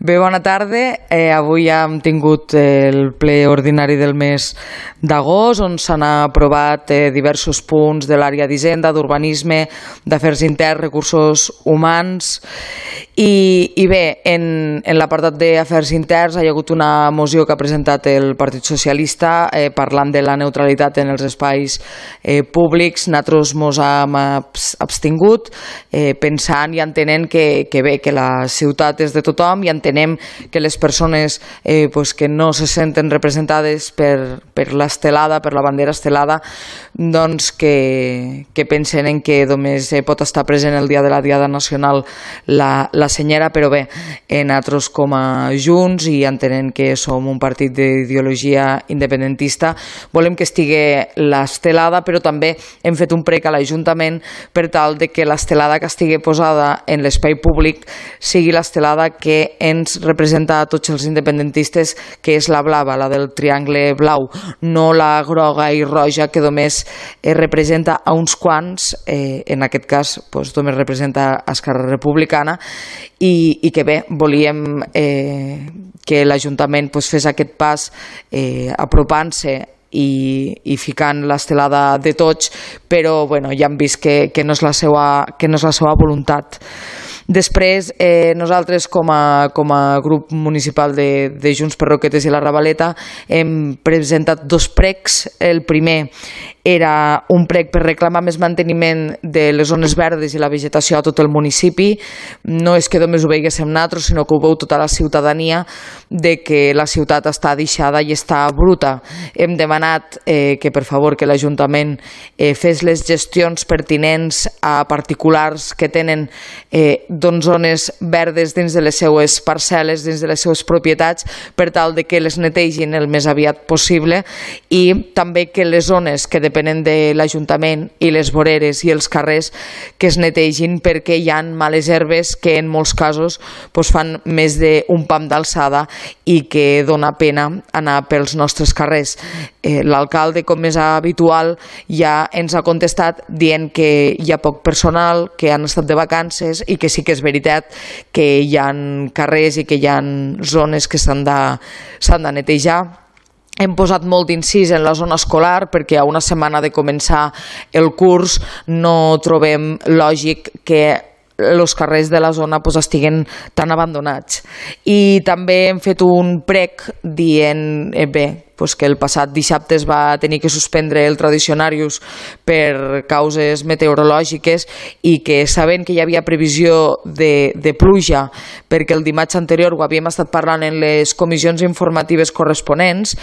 Bé, bona tarda. Avui hem tingut el ple ordinari del mes d'agost, on s'han aprovat diversos punts de l'àrea d'Hisenda, d'Urbanisme, d'Afers Interns, Recursos Humans. I bé, en l'apartat d'Afers Interns hi ha hagut una moció que ha presentat el Partit Socialista parlant de la neutralitat en els espais públics. Nosaltres ens hem abstingut pensant i entenent que bé, que la ciutat és de tothom, i entenem que les persones que no se senten representades per l'estelada, per la bandera estelada, doncs que pensen en que només pot estar present el dia de la Diada Nacional la senyera. Però bé, nosaltres com a Junts, i entenent que som un partit d'ideologia independentista, volem que estigui l'estelada, però també hem fet un prec a l'Ajuntament per tal de que l'estelada que estigui posada en l'espai públic sigui l'estelada que ens representa a tots els independentistes, que és la blava, la del triangle blau, no la groga i roja que només representa a uns quants, en aquest cas només representa Esquerra Republicana, i que bé, volíem que l'Ajuntament fes aquest pas apropant-se i ficant l'estelada de tots, però ja hem vist que no és la seva voluntat. Després, nosaltres com a grup municipal de Junts per Roquetes i la Ravaleta hem presentat dos precs. El primer era un prec per reclamar més manteniment de les zones verdes i la vegetació a tot el municipi. No és que només ho veiguéssim nosaltres, sinó que ho veu tota la ciutadania, de que la ciutat està deixada i està bruta. Hem demanat que per favor que l'Ajuntament fes les gestions pertinents a particulars que tenen zones verdes dins de les seues parcel·les, dins de les seues propietats, per tal de que les netegin el més aviat possible, i també que les zones que depenen de l'Ajuntament i les voreres i els carrers que es netegin, perquè hi ha males herbes que en molts casos fan més d'un pam d'alçada i que dona pena anar pels nostres carrers. L'alcalde, com és habitual, ja ens ha contestat dient que hi ha poc personal, que han estat de vacances, i que sí que és veritat que hi ha carrers i que hi ha zones que s'han de netejar. Hem posat molt d'incís en la zona escolar, perquè a una setmana de començar el curs no trobem lògic que els carrers de la zona estiguen tan abandonats. I també hem fet un prec dient que el passat dissabte es va tenir que suspendre el Tradicionarius per causes meteorològiques, i que sabent que hi havia previsió de pluja, perquè el dimarts anterior ho havíem estat parlant en les comissions informatives corresponents,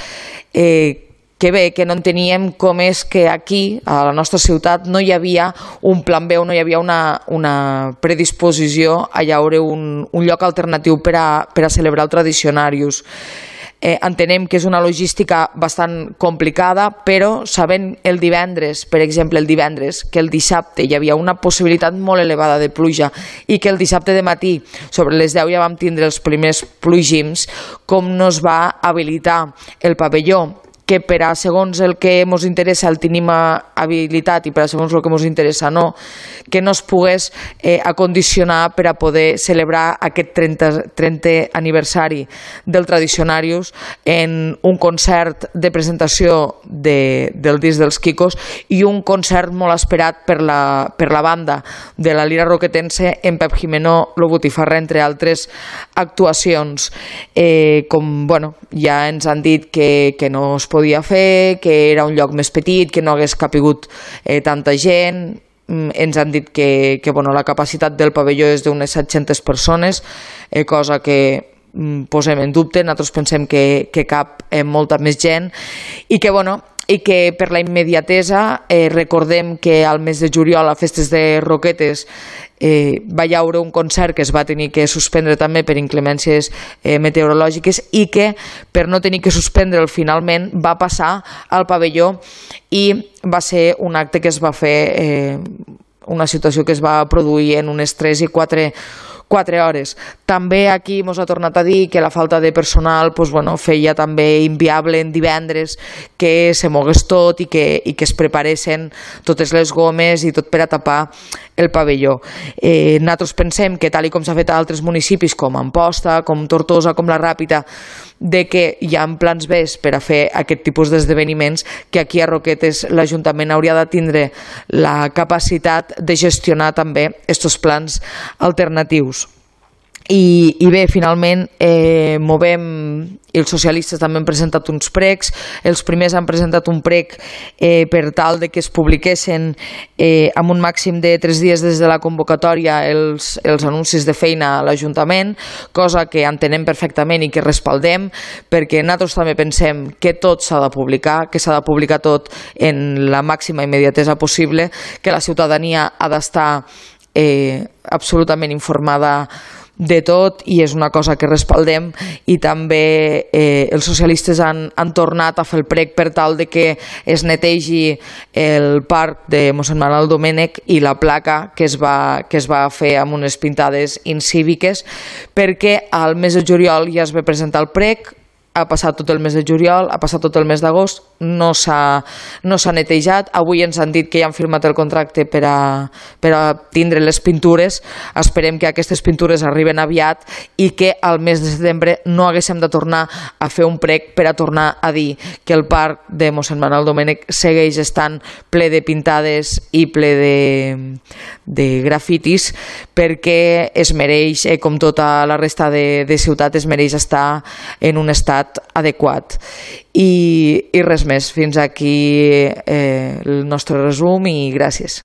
que bé, que no enteníem com és que aquí, a la nostra ciutat, no hi havia un plan B, no hi havia una predisposició a llaure un lloc alternatiu per a celebrar el Tradicionarius. Entenem que és una logística bastant complicada, però sabent el divendres, per exemple el divendres, que el dissabte hi havia una possibilitat molt elevada de pluja, i que el dissabte de matí sobre les 10 ja vam tindre els primers plogims, com no es va habilitar el pavelló, que per a segons el que ens interessa el tenim habilitat i per a segons el que ens interessa no, que no es pogués acondicionar per a poder celebrar aquest 30è aniversari del Tradicionarius en un concert de presentació del disc dels Quicos, i un concert molt esperat per la banda de la Lira Roquetense en Pep Gimeno, Lo Botifarra, entre altres actuacions. Ja ens han dit que no es podia fer, que era un lloc més petit, que no hagués capigut tanta gent. Ens han dit que la capacitat del pavelló és d'unes 700 persones, cosa que posem en dubte. Nosaltres pensem que cap molta més gent, i que per la immediatesa recordem que al mes de juliol a Festes de Roquetes va haver un concert que es va tenir que suspendre també per inclemències meteorològiques, i que per no tenir que suspendre'l finalment va passar al pavelló, i va ser un acte que es va fer, una situació que es va produir en unes 3 i 4 hores. També aquí ens ha tornat a dir que la falta de personal feia també inviable en divendres que se mogués tot i que es preparessin totes les gomes i tot per a tapar el pavelló. Nosaltres pensem que, tal com s'ha fet a altres municipis com Amposta, com Tortosa, com la Ràpita, de que hi ha plans B per a fer aquest tipus d'esdeveniments, que aquí a Roquetes l'Ajuntament hauria de tindre la capacitat de gestionar també aquests plans alternatius. I bé, finalment movem, i els socialistes també han presentat uns pregs. Els primers han presentat un prec per tal de que es publiquessin amb un màxim de 3 dies des de la convocatòria els anuncis de feina a l'Ajuntament, cosa que entenem perfectament i que respaldem, perquè nosaltres també pensem que tot s'ha de publicar, que s'ha de publicar tot en la màxima immediatesa possible, que la ciutadania ha d'estar absolutament informada de tot, i és una cosa que respaldem. I també els socialistes han tornat a fer el prec per tal de que es netegi el parc de mossèn Manuel Domènech i la placa que es va fer amb unes pintades incíviques, perquè al mes de juliol ja es va presentar el prec, ha passat tot el mes de juliol, ha passat tot el mes d'agost, no s'ha netejat. Avui ens han dit que ja han firmat el contracte per a tindre les pintures. Esperem que aquestes pintures arriben aviat i que al mes de setembre no haguéssim de tornar a fer un prec per a tornar a dir que el parc de mossèn Manuel Domènech segueix estant ple de pintades i ple de grafitis, perquè es mereix, com tota la resta de ciutat, es mereix estar en un estat adequat. I res més, fins aquí el nostre resum, i gràcies.